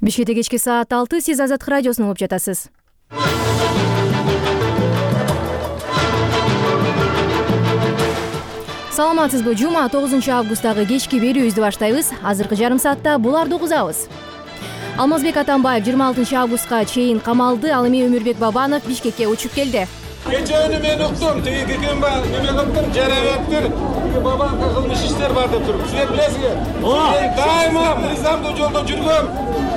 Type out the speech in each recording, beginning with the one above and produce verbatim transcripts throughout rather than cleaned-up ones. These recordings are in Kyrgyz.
Бишкекте кечки саат алты, сиз Азаттык радиосун угуп жатасыз. Саламатсызбы? Жума тогузунчу августтагы кечки берүүбүздү баштайбыз. Азыркы жарым саатта буларды угузабыз. Алмазбек Атамбаев жыйырма алтынчы августка чейин камалды. Ал эми Өмүрбек Бабанов Бишкекке учуп келди. Кечени мен уктум, тиги кекемба неме кылыптыр, жарабаттыр. Бабанга кылмыш иштер бар деп туруп. Сиз билесизби? Мен дайыма мыйзамдуу жолдо жүргөм.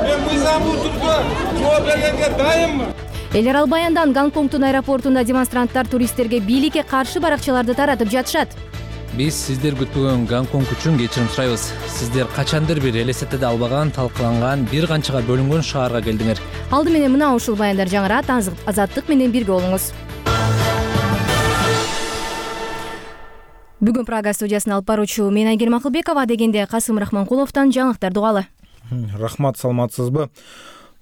Мен мыйзамдуу түрдө жооп бергенге дайыммын. Эл арал баяндан Гонконгдун аэропортунда демонстранттар туристтерге бийликке каршы баракчаларды таратып жатышат. Биз сиздер күтпөгөн Гонконг үчүн кечирим сурайбыз. Сиздер качандыр бир элестетеде албаган, талкаланган, бир канчага бөлүнгөн шаарга келдиңер. Алды менен мына ушул баяндар жаңырат. Азаттык менен бирге болуңуз. Бүгүн Прага студиясына алып баруучу мен Айгерим Акылбекова, дегенде Касым Рахманкуловдон жаңылыктарды угалы. Рахмат, саламатсызбы?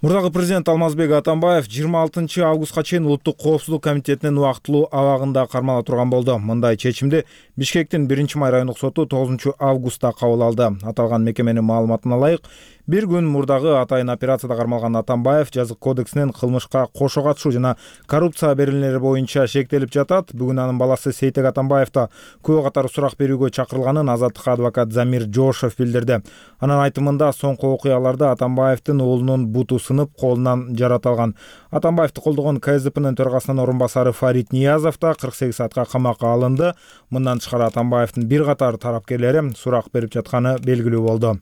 Мурдагы президент Алмазбек Атамбаев жыйырма алтынчы августка чейин Улуттук коопсуздук комитетинин убактылуу абагында кармала турган болду. Мындай чечимди Бишкектин биринчи май райондук соту тогузунчу августта кабыл алды. Аталган мекеменин маалыматына ылайык, бир күн мурдагы атайын операцияда кармалган Атамбаев жазык кодексинин кылмышка кошо катышуу жана коррупция берилмелери боюнча шектелип жатат. Бүгүн анын баласы Сейтек Атамбаев да күбө катары сурак берүүгө чакырылганын Азаттыкка адвокат Замир Жошев билдирди. Анын айтымында соңку окуяларда Атамбаевдин уулунун буту сынып, колунан жараталган. Атамбаевди колдогон ка эс дэ пнын төрагасынын орун басары Фарид Ниязов да кырк сегиз саатка камакка алынды. Мындан тышкары Атамбаевдин бир катар тарапкерлери сурак берип жатканы белгилүү болду.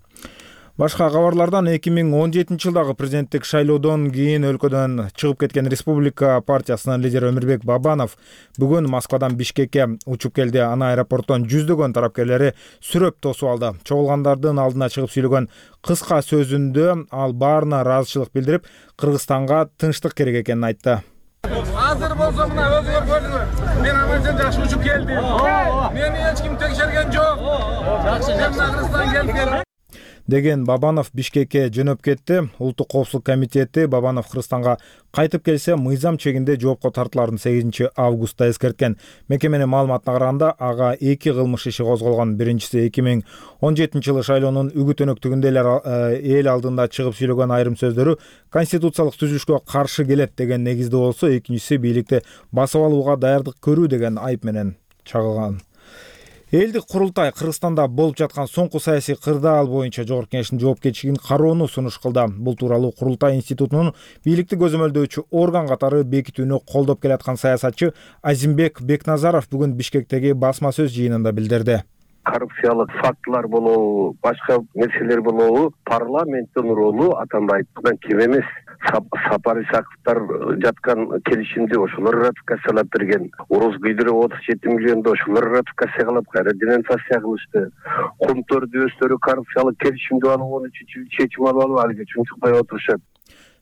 Башка кабарлардан эки миң он жетинчи жылдагы президенттик шайлоодон кийин өлкөдөн чыгып кеткен Республика партиясынын лидери Өмүрбек Бабанов бүгүн Москвадан Бишкекке учуп келди. Аны аэропорттон жүздөгөн тарапкерлери сүрөп тосуп алды. Чогулгандардын алдына чыгып сүйлөгөн кыска сөзүндө ал баарына ыраазычылык билдирип, Кыргызстанга тынчтык керек экенин айтты. Азыр болсо мына өзүңөр көрдүңөр. Мен аман жакшы учуп келдим. Мени эч ким текшерген жок. Жакшы, мен Кыргызстан келдим деген Бабанов Бишкекке жөнөп кетти. Улуттук коопсуздук комитети Бабанов Кыргызстанга кайтып келсе мыйзам чегинде жоопко тартыларын сегизинчи августта эскерткен. Мекеменин маалыматына караганда, ага эки кылмыш иши козголгон. Биринчиси эки миң он жетинчи жылы шайлоонун үгүт өнөктүгүндө эл алдында чыгып сүйлөгөн айрым сөздөрү конституциялык түзүлүшкө каршы келет деген негизде болсо, экинчиси бийликти басып алууга даярдык көрүү деген айып менен чагылган. Элдик курултай Кыргызстанда болуп жаткан соңку саясий кырдаал боюнча Жогорку Кеңештин жоопкерчилигин кароону сунуш кылды. Бул тууралуу Курултай институтунун бийликти көзөмөлдөөчү орган катары бекитүүнү колдоп келаткан саясатчы Азимбек Бекназаров бүгүн Бишкектеги басма сөз жыйынында билдирди. Коррупциялык фактылар болобу, башка нерселер болобу, парламенттин ролу Атамбаевден кем эмес. Сапар Исаковдор жаткан келишимди ошолор ратификациялап берген. Уруз күйдүрүп отуз жети миллионду ошолор ратификация кылып, кайра денонсация кылышты. Кумтөр дөстөрү коррупциялык келишимди алуу үчүн чечим алып алып алга чунчукпай отурушат.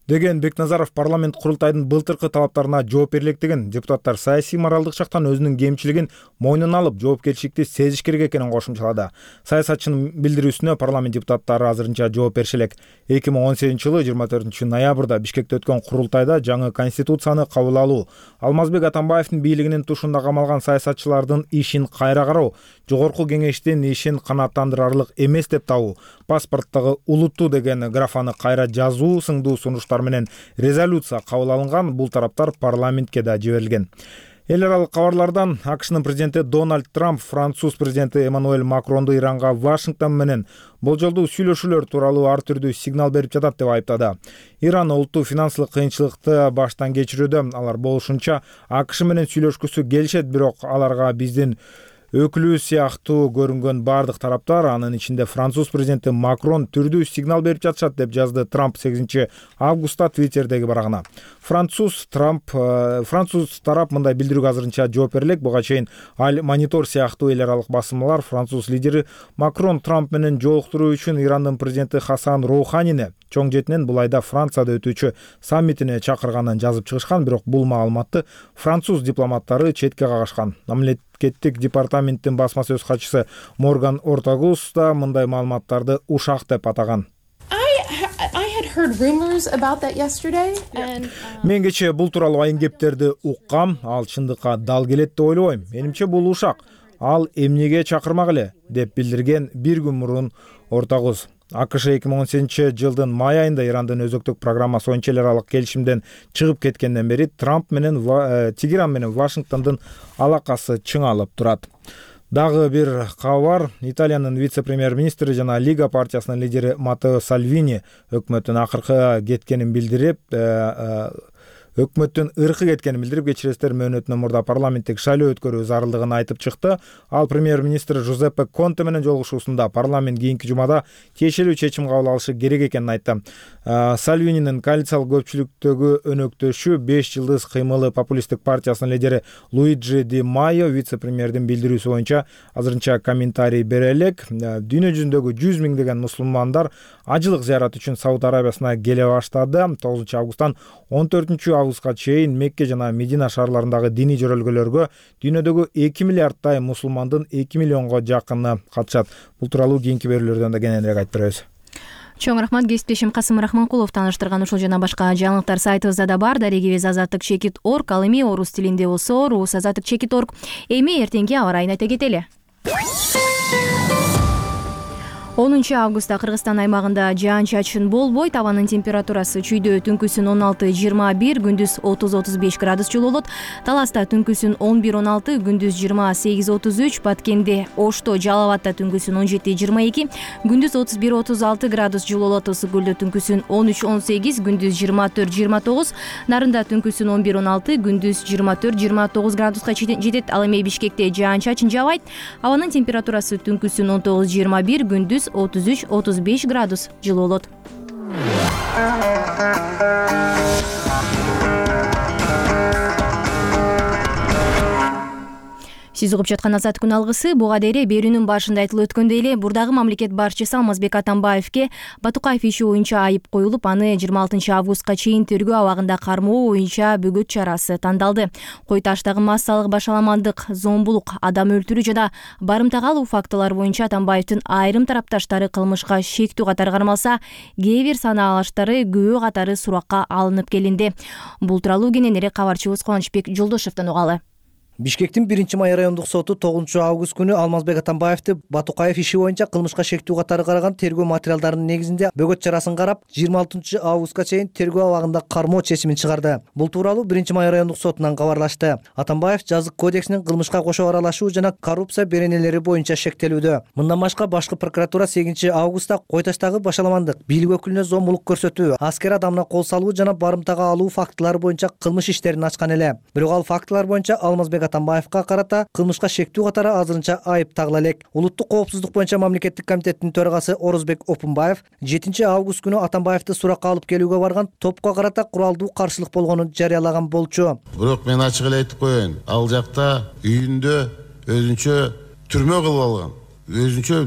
Деген Бекназаров парламент курултайдын былтыркы талаптарына жооп бере электигин, депутаттар саясий моралдык жактан өзүнүн кемчилигин мойнуна алып, жоопкерчиликти сезиш керек экенин кошумчалады. Саясатчынын билдирүүсүнө парламент депутаттары азырынча жооп бериши элек. эки миң он сегизинчи жылы жыйырма төртүнчү ноябрда Бишкекте өткөн курултайда жаңы конституцияны кабыл алуу, Алмазбек Атамбаевдин бийлигинин тушунда камалган саясатчылардын ишин кайра кароо, Жогорку Кеңештин ишин канааттандырарлык эмес деп табуу, паспорттогу улуттуу деген графаны кайра жазуу сыңдуу сунуштар менен резолюция кабыл алынган. Бул тараптар парламентке да жиберилген. Эл аралык кабарлардан АКШнын президенти Дональд Трамп Француз президенти Эммануэль Макронду Иранга Вашингтон менен болжолдуу сүйлөшүүлөр тууралуу ар түрдүү сигнал берип жатат деп айыптады. Иран улуттуу финансылык кыйынчылыкты баштан кечирүүдө. Алар болушунча АКШ менен сүйлөшкүсү келишет, бирок аларга биздин өкүлү сыяктуу көрүнгөн бардык тараптар, анын ичинде Француз президенти Макрон түрдүү сигнал берип жатышат деп жазды Трамп сегизинчи августта Твиттердеги барагына. Француз Трамп Француз тарап мындай билдирүүгө азырынча жооп бере элек. Буга чейин Аль Монитор сыяктуу эл аралык басмалар Француз лидери Макрон Трамп менен жолуктуруу үчүн Ирандын президенти Хасан Роуханини чоң жетинен бул айда Францияда өтүүчү саммитине чакырганын жазып чыгышкан, бирок бул маалыматты француз дипломаттары четке кагышкан. Мамлекеттик департаменттин басма сөз катчысы Морган Ортагус да мындай маалыматтарды ушак деп атаган. Мен кечээ бул тууралуу айын кептерди уккам, ал чындыкка дал келет деп ойлобойм. Менимче бул ушак. Ал эмнеге чакырмак эле деп билдирген бир күн мурун Ортагус. АКШ эки миң он сегизинчи жылдын май айында Ирандын өзөктүк программасы боюнча эл аралык келишимден чыгып кеткенден бери Трамп менен Тегеран менен Вашингтондун алакасы чыңалып турат. Дагы бир кабар. Италиянын вице-премьер-министри жана Лига партиясынын лидери Маттео Сальвини өкмөттүн акыркы кеткенин билдирип, өкмөттүн ыркы кеткенин билдирип, кечиресиздер, мөөнөтүнөн мурда парламенттик шайлоо өткөрүү зарылдыгын айтып чыкты. Ал премьер-министр Жузеппе Конте менен жолугушуусунда парламент кийинки жумада тиешелүү чечим кабыл алышы керек экенин айтты. Сальвининин коалициялык көпчүлүктөгү өнөктөшү беш жылдыз кыймылы популисттик партиясынын лидери Луиджи Ди Майо вице-премьердин билдирүүсү боюнча азырынча комментарий бере элек. Дүйнө жүзүндөгү жүз миңдеген мусулмандар ажылык зыярат үчүн Сауд Арабиясына келе баштады. тогузунчу августтан он төртүнчү августка чейин Мекке жана Медина шаарларындагы диний жөрөлгөлөргө дүйнөдөгү эки миллиардтай мусулмандын эки миллионго жакыны катышат. Бул тууралуу кийинки берүүлөрдөн да кененирээк айтып беребиз. Чоң рахмат, кесиптешим Касым Рахманкулов тааныштырган ушул жана башка жаңылыктар сайтыбызда да бар. Дарегибиз азаттык чекит точка орг, ал эми орус тилинде болсо рус азаттык чекит точка орг. Эми эртеңки аба ырайын айта кетели. онунчу августта Кыргызстан аймагында жаан-чачын болбойт. Абанын температурасы чүйдө түнкүсүн он алты жыйырма бир, күндүз отуз отуз беш градус жылуу болот. Таласта түнкүсүн он бир он алты, күндүз жыйырма сегиз отуз үч, Баткенде, Ошто, Жалал абадта түнкүсүн он жети жыйырма эки, күндүз отуз бир отуз алты градус жылуу болот. Ысык көлдө түнкүсүн он үч он сегиз, күндүз жыйырма төрт жыйырма тогуз, Нарында түнкүсүн он бир он алты, күндүз жыйырма төрт жыйырма тогуз градуска жетет. Ал эми Бишкекте жаан-чачын жаабайт. Абанын температурасы түнкүсүн он тогуз жыйырма бир, күндүз отуз үч отуз беш градус жылуу болот. Сиз угуп жаткан Азат күн алгысы. Буга дейре берүүнүн башында айтылып өткөндөй эле бурдагы мамлекет башчысы Алмазбек Атамбаевке Батукаев иши боюнча айып коюлуп, аны жыйырма алтынчы августка чейин тергөө абагында кармоо боюнча бөгөт чарасы тандалды. Кой таштагы массалык башаламандык, зомбулук, адам өлтүрүү жана барымта калуу фактылары боюнча Атамбаевдин айрым тарапташтары кылмышка шектүү катары кармалса, кээ бир санаалаштары күбө катары суракка алынып келинди. Бул тууралуу кененирээк кабарчыбыз Кубанычбек Жолдошевдон угалы. Бишкектин биринчи май райондук соту тогузунчу август күнү Алмазбек Атамбаевди Батукаев иши боюнча кылмышка шектүү катары караган тергөө материалдарынын негизинде бөгөт чарасын карап, жыйырма алтынчы августка чейин тергөө абагында кармоо чечимин чыгарды. Бул тууралуу биринчи май райондук сотунан кабарлашты. Атамбаев жазык кодексинин кылмышка кошо аралашуу жана коррупция беренелери боюнча шектелүүдө. Мындан башка башкы прокуратура сегизинчи августта Кой таштагы башаламандык, бийлик өкүлүнө зомбулук көрсөтүү, аскер адамына кол салуу жана барымтага алуу фактылары боюнча кылмыш иштерин ачкан эле. Бирок ал фактылар боюнча Алмазбек Атамбаевка карата кылмышка шектүү катары азырынча айып тагыла элек. Улуттук коопсуздук боюнча мамлекеттик комитеттин төрагасы Орозбек Опунбаев жетинчи август күнү Атамбаевди суракка алып келүүгө барган топко карата куралдуу каршылык болгонун жарыялаган болчу. Бирок мен ачык эле айтып коеюн, ал жакта үйүндө өзүнчө түрмө кылып алган, өзүнчө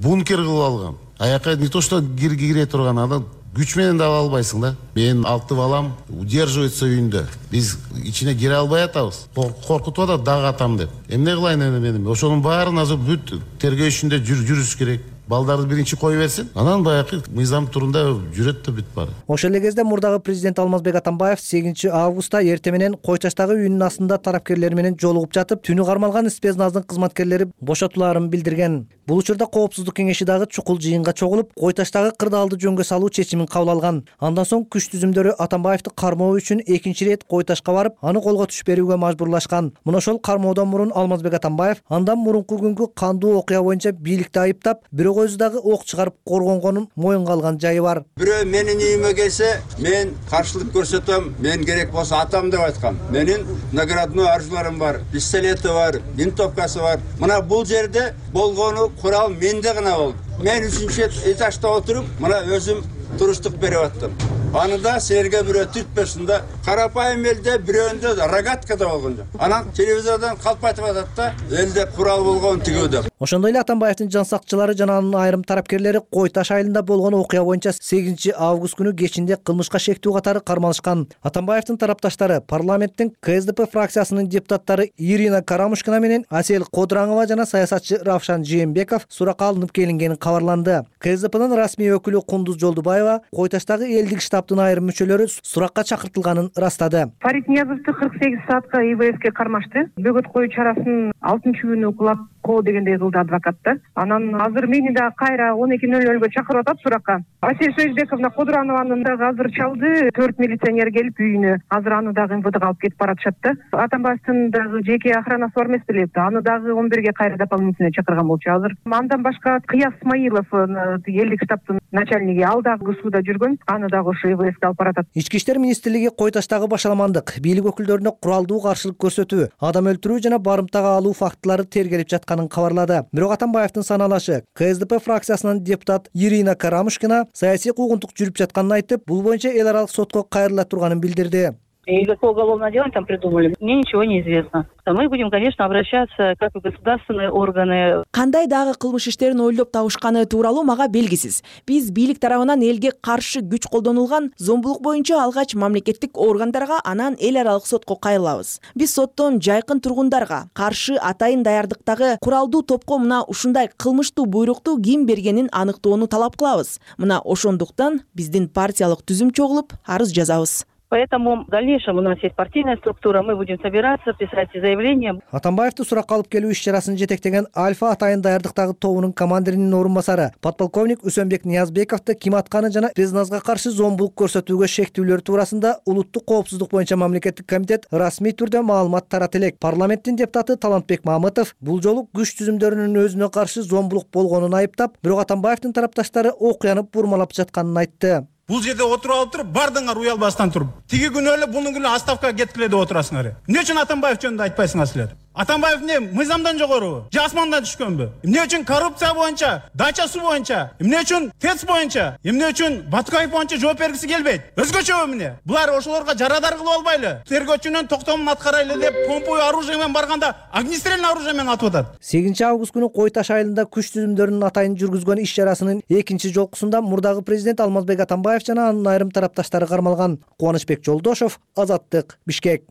бункер кылып алган. Аяка не то что кире турган адам күч менен да ала албайсың да. Мен алты балам удерживается үйүндө. Биз ичине кире албай атабыз. Коркутуп атат дагы атам деп. Эмне кылайын эми мен? Ошонун баарын азыр бүт тергөө ишинде жүрүш керек. Балдарды биринчи кой берсин, анан баягы мыйзам турунда жүрөт да бүт баары. Ошол эле кезде мурдагы президент Алмазбек Атамбаев сегизинчи августта эртең менен Кой таштагы үйүнүн астында тарапкерлер менен жолугуп жатып, түнү кармалган спецназдын кызматкерлери бошотуларын билдирген. Бул учурда коопсуздук кеңеши дагы чукул жыйынга чогулуп, Кой таштагы кырдаалды жөнгө салуу чечимин кабыл алган. Андан соң күч түзүмдөрү Атамбаевди кармоо үчүн экинчи ирет Кой ташка барып, аны колго түш берүүгө мажбурлашкан. Мына ошол кармоодон мурун Алмазбек Атамбаев андан мурунку күнгү кандуу окуя боюнча бийликти айыптап, бирок өзү дагы ок чыгарып коргонгонун моюнга алган жайы бар. Бирөө менин үйүмө келсе, мен каршылык көрсөтөм, мен керек болсо атам деп айткам. Менин наградной оружиелерим бар, пистолети бар, винтовкасы бар. Мына бул жерде болгону курал менде гана болду. Мен үчүнчү этажда отуруп, мына өзүм туруштук берип аттым. Аны да силерге бирөө түртпөсүн да. Карапайым элде бирөөндө рогаткада болгон жок. Анан телевизордон калп айтып атат да, элде курал болгон тигүү деп. Ошондой эле Атамбаевдин жан сакчылары жана анын айрым тарапкерлери Кой таш айылында болгон окуя боюнча сегизинчи август күнү кечинде кылмышка шектүү катары кармалышкан. Атамбаевдин тарапташтары парламенттин Ка Эс Де Пе фракциясынын депутаттары Ирина Карамушкина менен Асель Кодураңова жана саясатчы Равшан Жээнбеков суракка алынып келингени кабарланды. Ка Эс Де Пенин расмий өкүлү Кундуз Жолдубаева Кой таштагы элдик штаб штабтын айрым мүчөлөрү суракка чакыртылганын ырастады. Фарид Ниязовду кырк сегиз саатка И В Ске кармашты. Бөгөт коюу чарасын алтынчы күнү кулап коо дегендей кылды адвокат да. Анан азыр мени да кайра он эки нөл нөлгө чакырып атат суракка. Асель Союзбековна Кудуранованын дагы азыр чалды. Төрт милиционер келип үйүнө. Азыр аны дагы эм вэ Дга алып кетип баратышат да. Атамбаевдин дагы жеке охранасы бар эмес беле? Аны дагы он бирге кайра дополнительно чакырган болчу. Азыр андан башка Кыяз Исмаилов, элдик штабтын начальниги, ал дагы сууда жүргөн. Аны дагы ошо И В Ске алып баратат. Ички иштер министрлиги Кой Таштагы башаламандык, бийлик өкүлдөрүнө куралдуу каршылык көрсөтүү, адам өлтүрүү жана барымтага алуу фактылары тергелип жатканын кабарлады. Бирок Атамбаевдин саналашы Ка Эс Де Пе фракциясынын депутат Ирина Карамушкина саясий куугунтук жүрүп жатканын айтып, бул боюнча эл аралык сотко кайрыла турганын билдирди. И какое уголовное дело там придумали, мне ничего не известно. Мы будем, конечно, обращаться как и государственные органы. Кандай дагы кылмыш иштерин ойлоп табышканы тууралуу мага белгисиз. Биз бийлик тарабынан элге каршы күч колдонулган зомбулук боюнча алгач мамлекеттик органдарга, анан эл аралык сотко кайрылабыз. Биз соттон жайкын тургундарга каршы атайын даярдыктагы куралдуу топко мына ушундай кылмыштуу буйрукту ким бергенин аныктоону талап кылабыз. Мына ошондуктан биздин партиялык түзүм чогулуп арыз жазабыз. Поэтому в дальнейшем у нас есть партийная структура, мы будем собираться, писать заявления. Атамбаевди суракка алып келүү иш-чарасын жетектеген Альфа атайын даярдыктагы тобунун командиринин орун басары подполковник Үсөнбек Ниязбековду ким атканы жана Резназга каршы зомбулук көрсөтүүгө шектүүлөр туурасында улуттук коопсуздук боюнча мамлекеттик комитет расмий түрдө маалымат тарат элек. Парламенттин депутаты Талантбек Мамытов бул жолу күч түзүмдөрүнүн өзүнө каршы зомбулук болгонун айыптап, бирок Атамбаевдин тарапташтары окуяны бурмалап жатканын айтты. Бул жерде отуруп алып туруп, бардыңар уялбастан туруп. Тиги күнү эле бунун күнү отставкага кеткиле деп отурасыңар. Эмне үчүн Атамбаев жөнүндө айтпайсыңар силер? Атамбаев эмне мыйзамдан жогорубу? Же асмандан түшкөнбү? Эмне үчүн коррупция боюнча, дача суу боюнча, эмне үчүн ТЭЦ боюнча, эмне үчүн Батукаев боюнча жооп бергиси келбейт? Өзгөчөбү эмне? Булар ошолорго жарадар кылып албайлы? Тергөөчүнүн токтомун аткарайлы деп помповый оружие менен барганда огнестрельный оружие менен атып атат. сегизинчи август күнү Кой Таш айылында күч түзүмдөрүнүн атайын жүргүзгөн иш-чарасынын экинчи жолкусунда мурдагы президент Алмазбек Атамбаев жана анын айрым тарапташтары кармалган. Кубанычбек Жолдошов, Азаттык, Бишкек.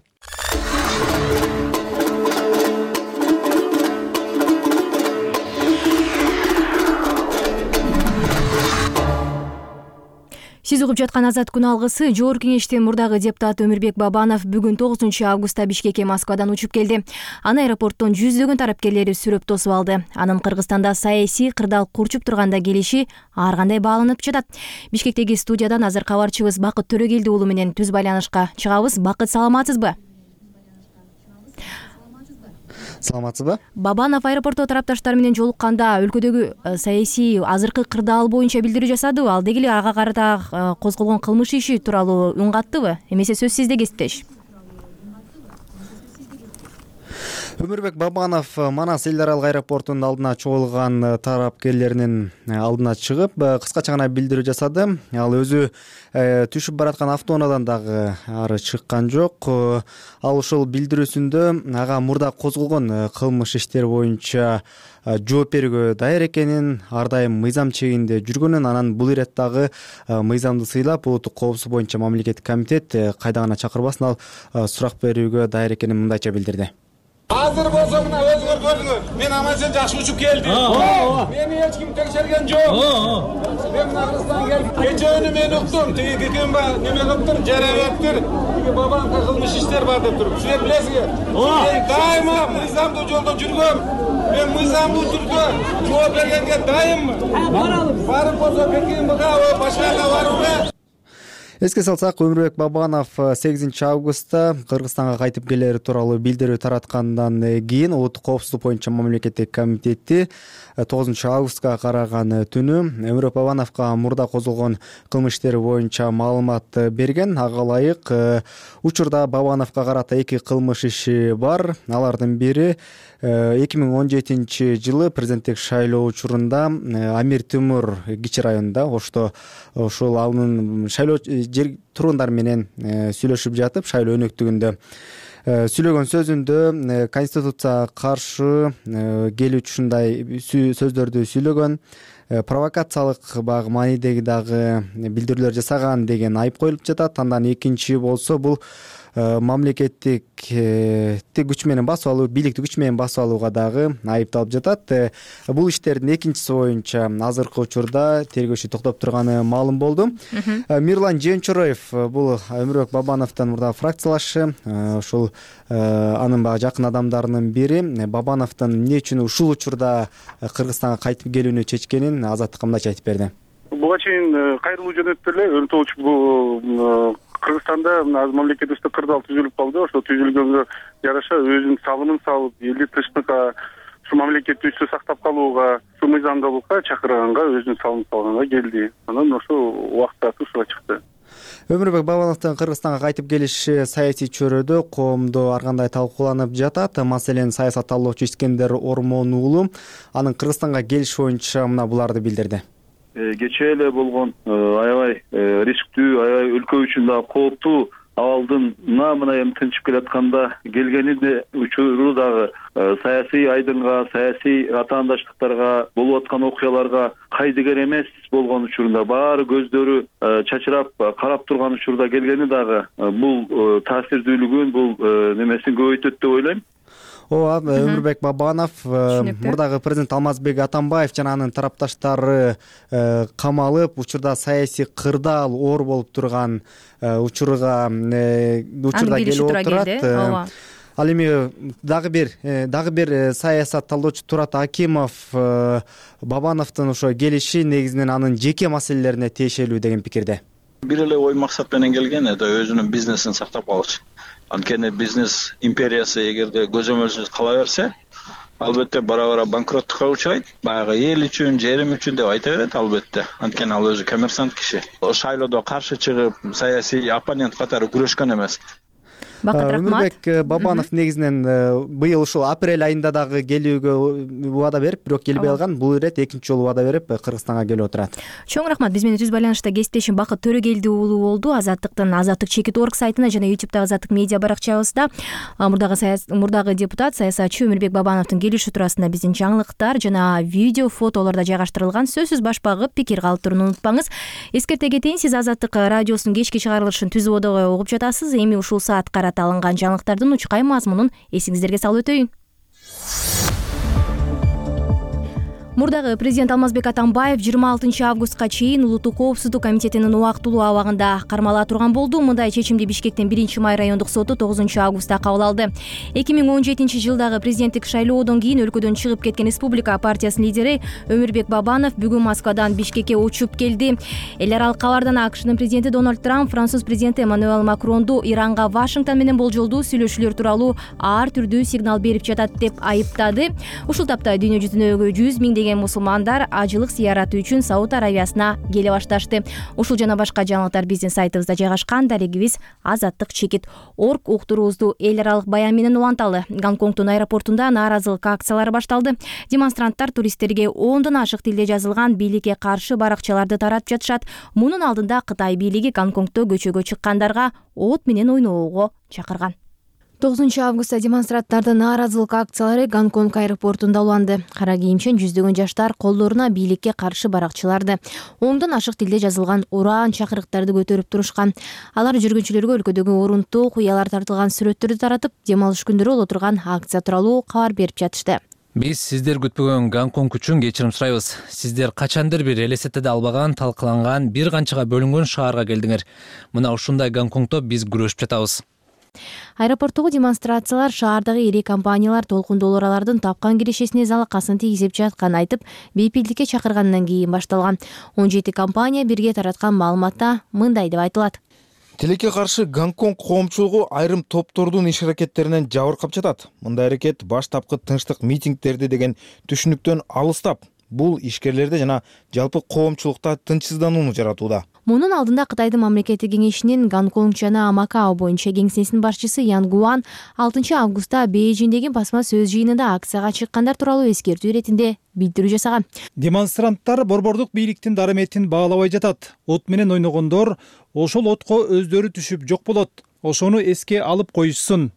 Сиз угуп жаткан Азат күн алгысы. Жогорку кеңештин мурдагы депутаты Өмүрбек Бабанов бүгүн тогузунчу августта Бишкекке Москвадан учуп келди. Аны аэропорттон жүздөгөн тарапкерлери сүрөп тосуп алды. Анын Кыргызстанда саясий кырдаал курчуп турганда келиши ар кандай бааланып жатат. Бишкектеги студиядан азыр кабарчыбыз Бакыт Төрөгелди уулу менен түз байланышка чыгабыз. Бакыт, саламатсызбы? Саламатсызбы? Бабанов аэропортто тарапташтар менен жолукканда өлкөдөгү саясий азыркы кырдаал боюнча билдирүү жасадыбы? Ал деги эле ага карата козголгон кылмыш иши тууралуу үн каттыбы? Эмесе сөз сизде, кесиптеш. Өмүрбек Бабанов Манас эл аралык аэропортунун алдына чогулган тарапкерлеринин алдына чыгып, кыскача гана билдирүү жасады. Ал өзү түшүп бараткан автоунаадан дагы ары чыккан жок. Ал ошол билдирүүсүндө ага мурда козголгон кылмыш иштер боюнча жооп берүүгө даяр экенин, ар дайым мыйзам чегинде жүргөнүн, анан бул иреттагы мыйзамды сыйлап улуттук коопсуздук боюнча мамлекеттик комитет кайда гана чакырбасын, ал сурак берүүгө даяр экенин мындайча билдирди. Азыр болсо мына өзүңөр көрдүңөр. Мен аман-эсен жакшы учуп келдим. Мени эч ким текшерген жок. Мен мына Кыргызстанга келдим. Кечөөнү мен уктум. Тиги кикимба неме кылыптыр, жарабеттир. Тиги бабанка кылмыш иштер бар деп туруп. Силер билесизби? Мен дайыма мыйзамдуу жолдо жүргөм. Мен мыйзамдуу түрдө жооп бергенге дайыммын. Баралым. Барып болсо Пекинге, башкага барууга. Эске салсак, Өмүрбек Бабанов сегизинчи августта Кыргызстанга кайтып келери тууралуу билдирүү тараткандан кийин улуттук коопсуздук боюнча мамлекеттик комитети тогузунчу августка караган түнү Өмүрбек Бабановго мурда козголгон кылмыш иштери боюнча маалымат берген. Ага ылайык учурда Бабановго карата эки кылмыш иши бар. Алардын бири эки миң он жетинчи жылы президенттик шайлоо учурунда Амир Темур кичи районунда, ошто ошол анын шайлоо жер тургундар менен сүйлөшүп жатып, шайлоо өнөктүгүндө сүйлөгөн сөзүндө конституцияга каршы келүүчү ушундай сөздөрдү сүйлөгөн. провокациялык баягы маанидеги дагы билдирүүлөр жасаган деген айып коюлуп жатат. Андан экинчи болсо бул мамлекеттик күч менен басып алуу, бийликти күч менен басып алууга дагы айыпталып жатат. Бул иштердин экинчиси боюнча азыркы учурда тергөөчү токтоп турганы маалым болду. Мирлан Жеөнчороев бул Өмүрбек Бабановдун мурдагы фракциялашы, ушул анын баягы жакын адамдарынын бири. Бабановдун эмне үчүн ушул учурда Кыргызстанга кайтып келүүнү чечкенин Азаттыкка мындайча айтып берди. Буга чейин кайрылуу жөнөттү эле Өнтолуч бул Кыргызстанда мамлекетибизде кырдаал түзүлүп калды. Ошо түзүлгөнгө жараша өзүнүн салымын салып, элди тынчтыкка, ушу мамлекетти үстү сактап калууга, ушу мыйзамдуулукка чакырганга, өзүнүн салымын салганга келди. Анан ошо убакыт ушуга чыкты. Өмүрбек Бабановдун Кыргызстанга кайтып келиши саясий чөйрөдө коомдо ар кандай талкууланып жатат. Маселен, саясатталуучу Искендер Ормон уулу анын Кыргызстанга келиши боюнча мына буларды билдирди. Кечээ эле болгон аябай рисктүү, аябай өлкө үчүн дагы кооптуу абалдын мына эми тынчып келатканда келгенинде учуру дагы саясий айдынга, саясий атаандаштыктарга, болуп аткан окуяларга кайдыгер эмес болгон учурунда баары көздөрү чачырап карап турган учурда келгени дагы бул таасирдүүлүгүн, бул немесин көбөйтөт деп ойлойм. Ооба, Өмүрбек Бабанов, мурдагы президент Алмазбек Атамбаев жана анын тарапташтары камалып, учурда саясий кырдаал оор болуп турган учурга учурда келип отурат. Ал эми дагы бир дагы бир саясатталуучу Турат Акимов Бабановдун ошо келиши негизинен анын жеке маселелерине тиешелүү деген пикирде. Бир эле ой максат менен келген, это өзүнүн бизнесин сактап калыш. Анткени бизнес империясы эгерде көзөмөлсүз кала берсе, албетте бара-бара банкроттукка учурайт. Баягы эл үчүн, жерим үчүн деп айта берет албетте. Анткени ал өзү коммерсант киши. Шайлоодо каршы чыгып, саясий оппонент катары күрөшкөн эмес. Өмүрбек Бабанов негизинен быйыл ушул апрель айында дагы келүүгө убада берип, бирок келбей калган. Бул ирет экинчи жолу убада берип Кыргызстанга келип отурат. Чоң рахмат. Биз менен түз байланышта кесиптешим Бакыт Төрөгелди уулу болду. Азаттыктын Азаттык чекит орг сайтына жана ютубтагы Азаттык медиа баракчабызда мурдагы мурдагы депутат, саясатчы Өмүрбек Бабановдун келиши туурасында биздин жаңылыктар жана видео, фотолордо жайгаштырылган. Сөзсүз баш багып, пикир калтырууну унутпаңыз. Эскерте кетейин, сиз Азаттык радиосунун кечки чыгарылышын түз убада угуп жатасыз. Эми ушул саат карата алынган жаңылыктардын учкай мазмунун эсиңиздерге салып өтөйүн. Мурдагы президент Алмазбек Атамбаев жыйырма алтынчы августка чейин Улуттук коопсуздук комитетинин убактылуу абагында кармала турган болду. Мындай чечимди Бишкектин биринчи май райондук соту тогузунчу августта кабыл алды. эки миң он жетинчи жылдагы президенттик шайлоодон кийин өлкөдөн чыгып кеткен Республика партиясынын лидери Өмүрбек Бабанов бүгүн Москвадан Бишкекке учуп келди. Эл аралык кабардан АКШнын президенти Дональд Трамп Француз президенти Эммануэль Макронду Иранга Вашингтон менен болжолдуу сүйлөшүүлөр тууралуу ар түрдүү сигнал берип жатат деп айыптады. Ушул тапта дүйнө жүзүндөгү жүз миңдеген мусулмандар ажылык зыяраты үчүн Сауд Аравиясына келе башташты. Ушул жана башка жаңылыктар биздин сайтыбызда жайгашкан. Дарегибиз Азаттык чекит орг уктуруубузду эл аралык баян менен уланталы. Гонконгдун аэропортунда нааразылык акциялары башталды. Демонстранттар туристтерге ондон ашык тилде жазылган бийликке каршы баракчаларды таратып жатышат. Мунун алдында Кытай бийлиги Гонконгдо көчөгө чыккандарга от менен ойноого чакырган. тогузунчу августта демонстранттардын нааразылык акциялары Гонконг аэропортунда уланды. Кара кийимчен жүздөгөн жаштар колдоруна бийликке каршы баракчаларды, ондон ашык тилде жазылган ураан чакырыктарды көтөрүп турушкан. Алар жүргүнчүлөргө өлкөдөгү орунтуу куялар тартылган сүрөттөрдү таратып, дем алыш күндөрү боло турган акция тууралуу кабар берип жатышты. Биз сиздер күтпөгөн Гонконг үчүн кечирим сурайбыз. Сиздер качандыр бир элестетеде албаган, талкаланган, бир канчага бөлүнгөн шаарга келдиңер. Мына ушундай Гонконгдо биз күрөшүп жатабыз. Аэропорттогу демонстрациялар шаардагы ири компаниялар толкундоолоралардын тапкан кирешесине залакасын тийгизип жатканын айтып, бейпилдикке чакыргандан кийин башталган. он жети компания бирге тараткан маалыматта мындай деп айтылат. Тилекке каршы Гонконг коомчулугу айрым топтордун иш-аракеттеринен жабыркап жатат. Мындай аракет баштапкы тынчтык митингдерди деген түшүнүктөн алыстап, бул ишкерлерде жана жалпы коомчулукта тынчсызданууну жаратууда. Мунун алдында Кытайдын мамлекеттик кеңешинин Гонконг жана Макао боюнча кеңсесинин башчысы Ян Гуан алтынчы августта Бейжиңдеги басма сөз жыйынында акцияга чыккандар тууралуу эскертүү иретинде билдирүү жасаган. Демонстранттар борбордук бийликтин дарыметин баалабай жатат. От менен ойногондор ошол отко өздөрү түшүп жок болот. Ошону эске алып коюшсун.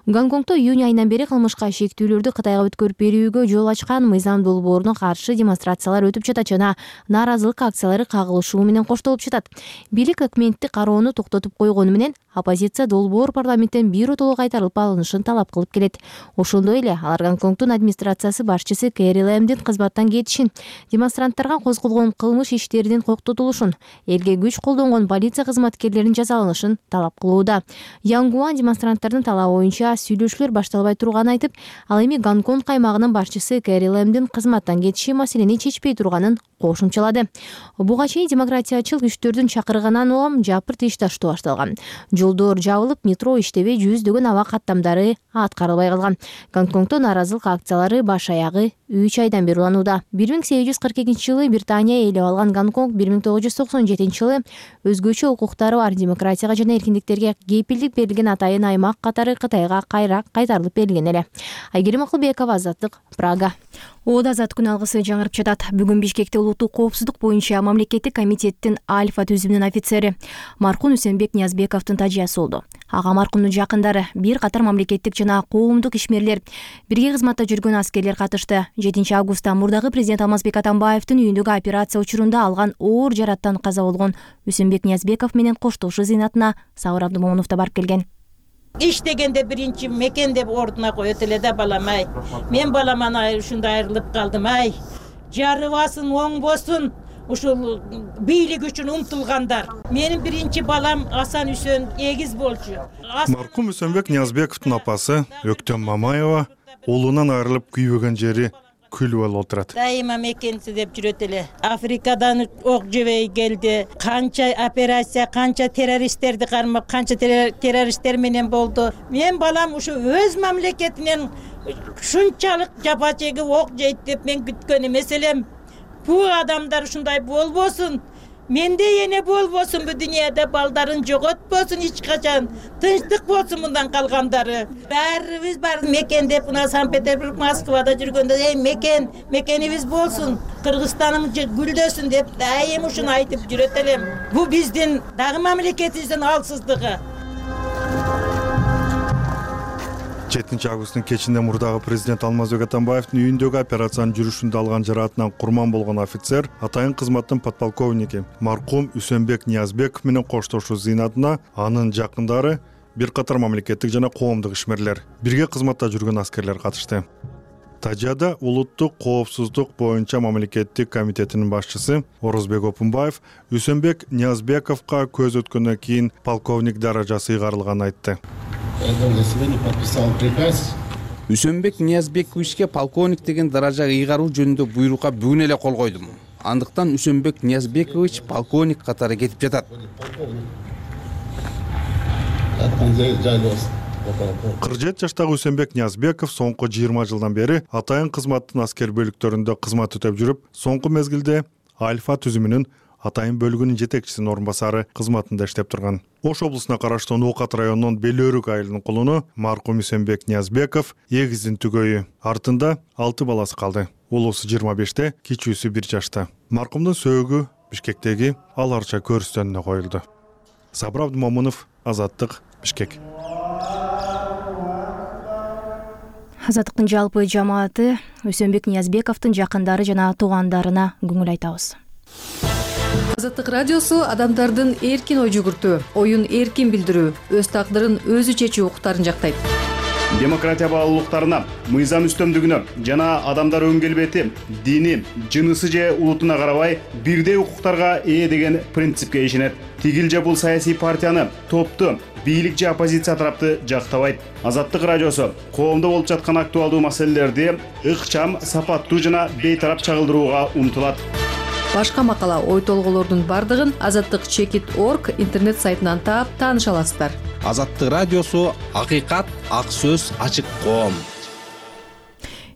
Гонконгдо июнь айынан бери кылмышка шектүүлөрдү Кытайга өткөрүп берүүгө жол ачкан мыйзам долбооруна каршы демонстрациялар өтүп жатат жана нааразылык акциялары кагылышуу менен коштолуп жатат. Бийлик өкмөттү кароону токтотуп койгону менен оппозиция долбоор парламенттен биротоло кайтарылып алынышын талап кылып келет. Ошондой эле алар Гонконгдун администрациясы башчысы Кэри Лэмдин кызматтан кетишин, демонстранттарга козголгон кылмыш иштеринин коктотулушун, элге күч колдонгон полиция кызматкерлеринин жазаланышын талап кылууда. Янгуан демонстранттардын талабы боюнча сүйлөшүүлөр башталбай турганын айтып, ал эми Гонконг каймагынын башчысы Кэри Лэмдин кызматтан кетиши маселени чечпей турганын кошумчалады. Буга чейин демократиячыл күчтөрдүн чакырыгынан улам жапырт иш таштоо башталган. Жолдор жабылып, метро иштебей, жүздөгөн аба каттамдары аткарылбай калган. Гонконгдо нааразылык акциялары баш аягы үч айдан бери уланууда. бир миң сегиз жүз кырк экинчи жылы Британия ээлеп алган Гонконг бир миң тогуз жүз токсон жетинчи жылы өзгөчө укуктары бар демократияга жана эркиндиктерге кепилдик берилген атайын аймак катары Кытайга кайра кайтарылып берилген эле. Айгерим Акылбекова, Азаттык, Прага. Оода азат күн алгысы жаңырып жатат. Бүгүн Бишкекте улуттук коопсуздук боюнча мамлекеттик комитеттин Альфа түзүмүнүн офицери маркум Үсөнбек Ниязбековдун тажыясы болду. Ага маркумдун жакындары, бир катар мамлекеттик жана коомдук ишмерлер, бирге кызматта жүргөн аскерлер катышты. жетинчи августта мурдагы президент Алмазбек Атамбаевдин үйүндөгү операция учурунда алган оор жараттан каза болгон Үсөнбек Ниязбеков менен коштошуу зыйнатына Сабыр Абдымомунов да барып келген. Иш дегенде биринчи мекен деп ордуна коет эле да балам-ай. Мен баламан ушундай айрылып калдым ай. Жарыбасын, оңбосун ушул бийлик үчүн умтулгандар. Менин биринчи балам Асан Үсөн эгиз болчу. Маркум Үсөнбек Ниязбековдун апасы Өктөм Мамаева уулунан айрылып күйбөгөн жери күл болуп отурат. Дайыма мекенси деп жүрөт эле. Африкадан ок жебей келди. Канча операция, канча террористтерди кармап, канча террористтер менен болду. Мен балам ушу өз мамлекетинен ушунчалык жапа чегип ок жейт деп мен күткөн эмес элем. Бу адамдар ушундай болбосун. Менде эне болбосун, бу дүйнөдө балдарын жоготпосун эч качан. Тынчтык болсун мындан калгандары. Баарыбыз бар мекен деп мына Санкт-Петербург, Москвада жүргөндө эй мекен, мекенибиз болсун, Кыргызстаным гүлдөсүн деп дайым ушуну айтып жүрөт элем. Бу биздин дагы мамлекетибиздин алсыздыгы. жетинчи августтун кечинде мурдагы президент Алмазбек Атамбаевдин үйүндөгү операциянын жүрүшүндө алган жараатынан курман болгон офицер атайын кызматтын подполковники маркум Үсөнбек Ниязбеков менен коштошуу зыйнатына анын жакындары, бир катар мамлекеттик жана коомдук ишмерлер, бирге кызматта жүргөн аскерлер катышты. Тажияда улуттук коопсуздук боюнча мамлекеттик комитетинин башчысы Орозбек Опунбаев Үсөнбек Ниязбековго көз өткөндөн кийин полковник даражасы ыйгарылганын айтты. Үсөнбек Ниязбековичке полковник деген даражага ыйгаруу жөнүндө буйрукка бүгүн эле кол койдум. Андыктан Үсөнбек Ниязбекович полковник катары кетип жатат. кырк жети жаштагы Үсөнбек Ниязбеков соңку жыйырма жылдан бери атайын кызматтын аскер бөлүктөрүндө кызмат өтөп жүрүп, соңку мезгилде Альфа түзүмүнүн атайын бөлүгүнүн жетекчисинин орун басары кызматында иштеп турган. Ош облусуна караштуу Нуукат районунун Белөөрүк айылынын кулуну маркум Үсөнбек Ниязбеков эгиздин түгөйү. Артында алты баласы калды. Улуусу жыйырма беште, кичүүсү бир жашта. Маркумдун сөөгү Бишкектеги Ал Арча көрүстөнүнө коюлду. Сабыр Абдымомунов, Азаттык, Бишкек. Азаттыктын жалпы жамааты Үсөнбек Ниязбековдун жакындары жана туугандарына көңүл айтабыз. Азаттык радиосу адамдардын эркин ой жүгүртүү, оюн эркин билдирүү, өз тагдырын өзү чечүү укуктарын жактайт. Демократия баалуулуктарына, мыйзам үстөмдүгүнө жана адамдар өн келбети, дини, жынысы же улутуна карабай бирдей укуктарга ээ деген принципке ишенет. Тигил же бул саясий партияны, топту, бийлик же оппозиция тарапты жактабайт. Азаттык радиосу коомдо болуп жаткан актуалдуу маселелерди ыкчам, сапаттуу жана бейтарап чагылдырууга умтулат. Башка макала, ой толголордун бардыгын азаттык чекит точка орг интернет сайтынан таап тааныша аласыздар. Азаттык радиосу акыйкат, ак сөз, ачык коом.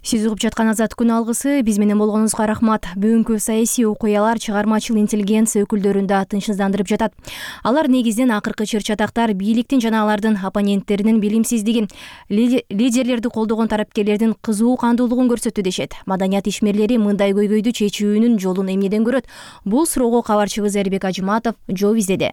Сиз угуп жаткан Азат күн алгысы, биз менен болгонуңузга рахмат. Бүгүнкү саясий окуялар чыгармачыл интеллигенция өкүлдөрүн да тынчсыздандырып жатат. Алар негизден акыркы чыр-чатактар бийликтин жана алардын оппоненттеринин билимсиздигин, лидерлерди колдогон тарапкерлердин кызуу кандуулугун көрсөттү дешет. Маданият ишмерлери мындай көйгөйдү чечүүнүн жолун эмнеден көрөт? Бул суроого кабарчыбыз Эрбек Ажыматов жооп издеди.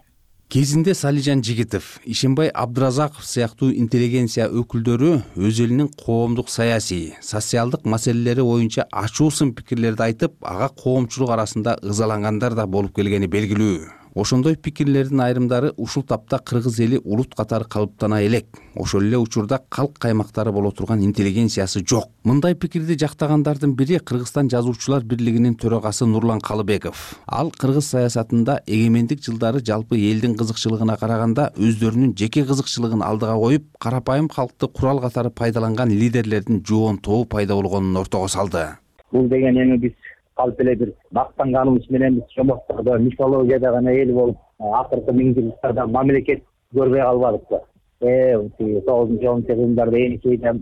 Кезинде Салижан Жигитов, Ишенбай Абдыразаков сыяктуу интеллигенция өкүлдөрү өз элинин коомдук саясий, социалдык маселелери боюнча ачуу сын пикирлерди айтып, ага коомчулук арасында ызалангандар да болуп келгени белгилүү. Ошондой пикирлердин айрымдары ушул тапта кыргыз эли улут катары калыптана элек. Ошол эле учурда калк каймактары боло турган интеллигенциясы жок. Мындай пикирди жактагандардын бири Кыргызстан жазуучулар бирлигинин төрагасы Нурлан Калыбеков. Ал кыргыз саясатында эгемендик жылдары жалпы элдин кызыкчылыгына караганда өздөрүнүн жеке кызыкчылыгын алдыга коюп, карапайым калкты курал катары пайдаланган лидерлердин жоон тобу пайда болгонун ортого салды. Бул деген эми биз калп эле бир мактанганыбыз менен биз чомоктордо мифологияда гана эл болуп, акыркы миңжылдыктарда мамлекет көрбөй калбадыкпы. Э, тогузунчу онунчу кылымдарда Энисейде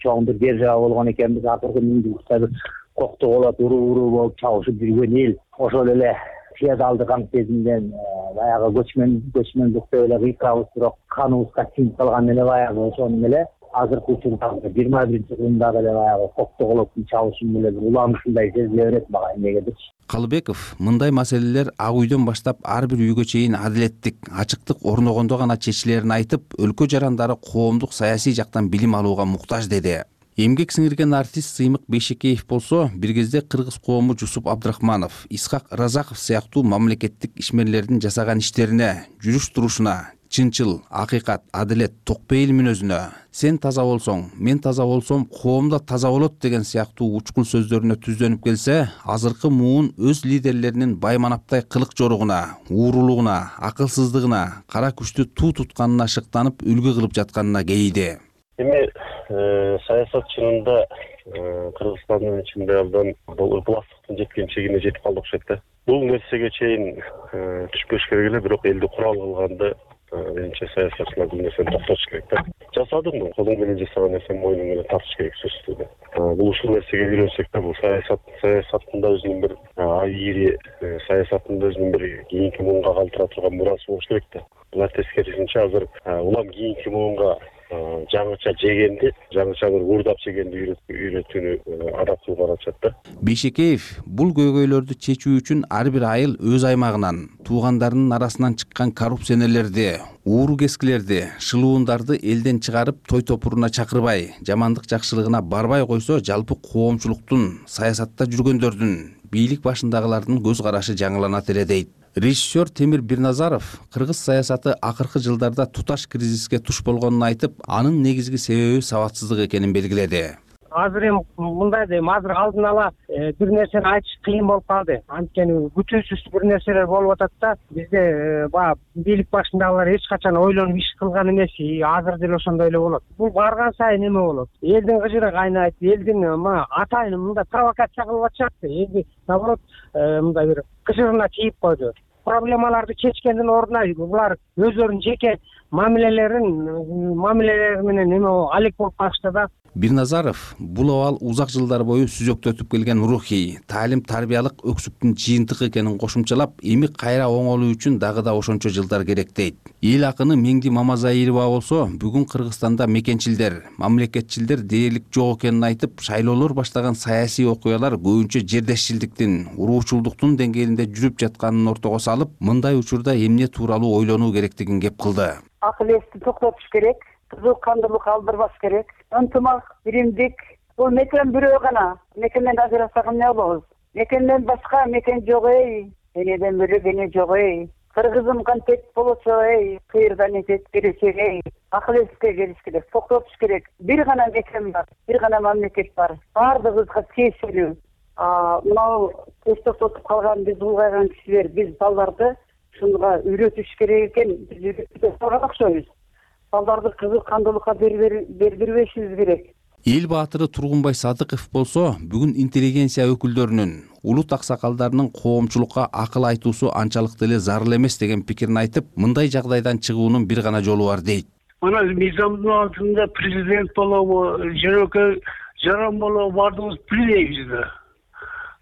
чоң бир держава болгон экенбиз, акыркы миңжылдыкта кокту болот, уруу-уруу болуп чабышып жүргөн эл. Ошол эле феодалдык аң сезимден баягы көчмөн көчмөндүктө эле кыйкырабыз, бирок каныбызга сиңип калган эле баягы ошону эле азыркы учурдагы жыйырма биринчи кылымдагы эле баягы коктоголоктун чабышын эле уламышындай сезиле берет мага эмнегедирчи. Калыбеков мындай маселелер ак үйдөн баштап ар бир үйгө чейин адилеттик, ачыктык орногондо гана чечилерин айтып, өлкө жарандары коомдук саясий жактан билим алууга муктаж деди. Эмгек сиңирген артист Сыймык Бейшекеев болсо, бир кезде кыргыз коому Жусуп Абдрахманов, Исхак Разаков сыяктуу мамлекеттик ишмерлердин жасаган иштерине, жүрүш-турушуна, чынчыл, акыйкат, адилет, токпейил мүнөзүнө, сен таза болсоң, мен таза болсом, коом да таза болот деген сыяктуу учкул сөздөрүнө түздөнүп келсе, азыркы муун өз лидерлеринин байманаптай кылык жоругуна, уурулугуна, акылсыздыгына, кара күчтү туу тутканына шыктанып үлгү кылып жатканына кейиди. Эми саясат чынында Кыргызстандын ичинде абдан бул ыкыластыктын жеткен чегине жетип калды окшойт да. Бул нерсеге чейин түшпөш керек эле, бирок элди курал кылганда менимче саясатчылар бул нерсени токтотуш керек да. Жасадым, колуң менен жасаган нерсени мойнуң менен тартыш керек сөзсүз да. Бул ушул нерсеге үйрөнсөк да, бул саясат саясатында өзүнүн бир айри, саясатында өзүнүн бир кийинки муунга калтыра турган мурасы болуш керек да. Булар тескерисинче азыр улам кийинки муунга жаңыча жегенди, жаңыча бир уурдап жегенди үйрөтүүнү адап кылып атышат да. Бейшекеев бул көйгөйлөрдү чечүү үчүн ар бир айыл өз аймагынан, туугандарынын арасынан чыккан коррупционерлерди, ууру кескилерди, шылуундарды элден чыгарып, той топуруна чакырбай, жамандык жакшылыгына барбай койсо, жалпы коомчулуктун, саясатта жүргөндөрдүн, бийлик башындагылардын көз карашы жаңыланат эле дейт. Режиссер Темир Бирназаров кыргыз саясаты акыркы жылдарда туташ кризиске туш болгонун айтып, анын негизги себеби сабатсыздык экенин белгиледи. Азыр эми мындай дейм, азыр алдын ала бир нерсени айтыш кыйын болуп калды. Анткени күтүүсүз бир нерселер болуп атат да. Бизде баягы бийлик башындагылар эч качан ойлонуп иш кылган эмес. Азыр деле ошондой эле болот. Бул барган сайын эме болот. Элдин кыжыры кайнайт, элдин атайын мындай провокация кылып атышат. Элди наоборот мындай бир кыжырына тийип койду. Проблемаларды чечкендин ордуна булар өздөрүнүн жеке мамилелерин мамилелери менен эме алек болуп калышты да. Бирназаров бул абал узак жылдар бою сүзөктөтүп келген рухий, таалим тарбиялык өксүктүн жыйынтыгы экенин кошумчалап, эми кайра оңолуу үчүн дагы да ошончо жылдар керек дейт. Эл акыны Меңди Мамазаирова болсо, бүгүн Кыргызстанда мекенчилдер, мамлекетчилдер дээрлик жок экенин айтып, шайлоолор баштаган саясий окуялар көбүнчө жердешчилдиктин, уруучулдуктун деңгээлинде жүрүп жатканын ортого салып, мындай учурда эмне тууралуу ойлонуу керектигин кеп кылды. Акыл эсти токтотуш керек, кызыл кандылык алдырбаш керек. Ынтымак, биримдик, бул мекен бирөө гана. Мекенден ажырасак эмне болобуз? Мекенден башка мекен жок эй. Энеден бөлөк эне жок эй. Кыргызым контент болочу эй. Кыйырдан этет беречек эй. Акыл эске келиш керек, токтотуш керек. Бир гана мекен бар, бир гана мамлекет бар. Бардыгыбызга тиешелүү. Мынау эс токтотуп калган биз улгайган кишилер, биз балдарды ушунга үйрөтүш керек экен. Биз үйрөтүп турган окшойбуз. Балдарды кызыл кандылыкка бербешибиз керек. Эл баатыры Тургунбай Садыков болсо, бүгүн интеллигенция өкүлдөрүнүн, улут аксакалдарынын коомчулукка акыл айтуусу анчалык деле зарыл эмес деген пикирин айтып, мындай жагдайдан чыгуунун бир гана жолу бар дейт. Мына мыйзамдын алтында президент болобу, жөнөкөй жаран болобу бардыгыбыз билебиз да.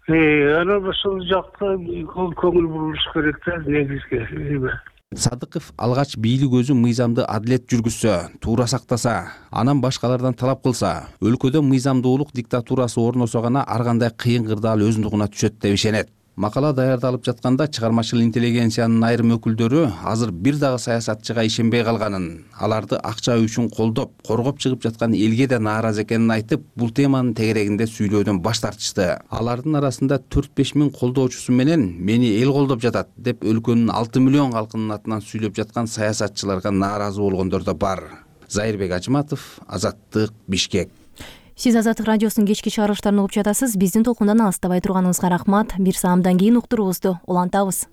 Анан ошол жакта көңүл бурулуш керек да, негизги. Садыков алгач бийлик өзү мыйзамды адилет жүргүзсө, туура сактаса, анан башкалардан талап кылса, өлкөдө мыйзамдуулук диктатурасы орносо гана ар кандай кыйын кырдаал өзүнүн түшөт деп ишенет. Макала даярдалып жатканда чыгармачыл интеллигенциянын айрым өкүлдөрү азыр бир дагы саясатчыга ишенбей калганын, аларды акча үчүн колдоп, коргоп чыгып жаткан элге да нааразы экенин айтып, бул теманын тегерегинде сүйлөөдөн баш тартышты. Алардын арасында төрт беш миң колдоочусу менен мени эл колдоп жатат деп өлкөнүн алты миллион калкынын атынан сүйлөп жаткан саясатчыларга нааразы болгондор да бар. Зайырбек Ажыматов, Азаттык, Бишкек. Сиз Азаттык радиосунун кечки чыгарылыштарын угуп жатасыз. Биздин толкундан алыстабай турганыңызга рахмат. Бир саамдан кийин уктуруубузду улантабыз.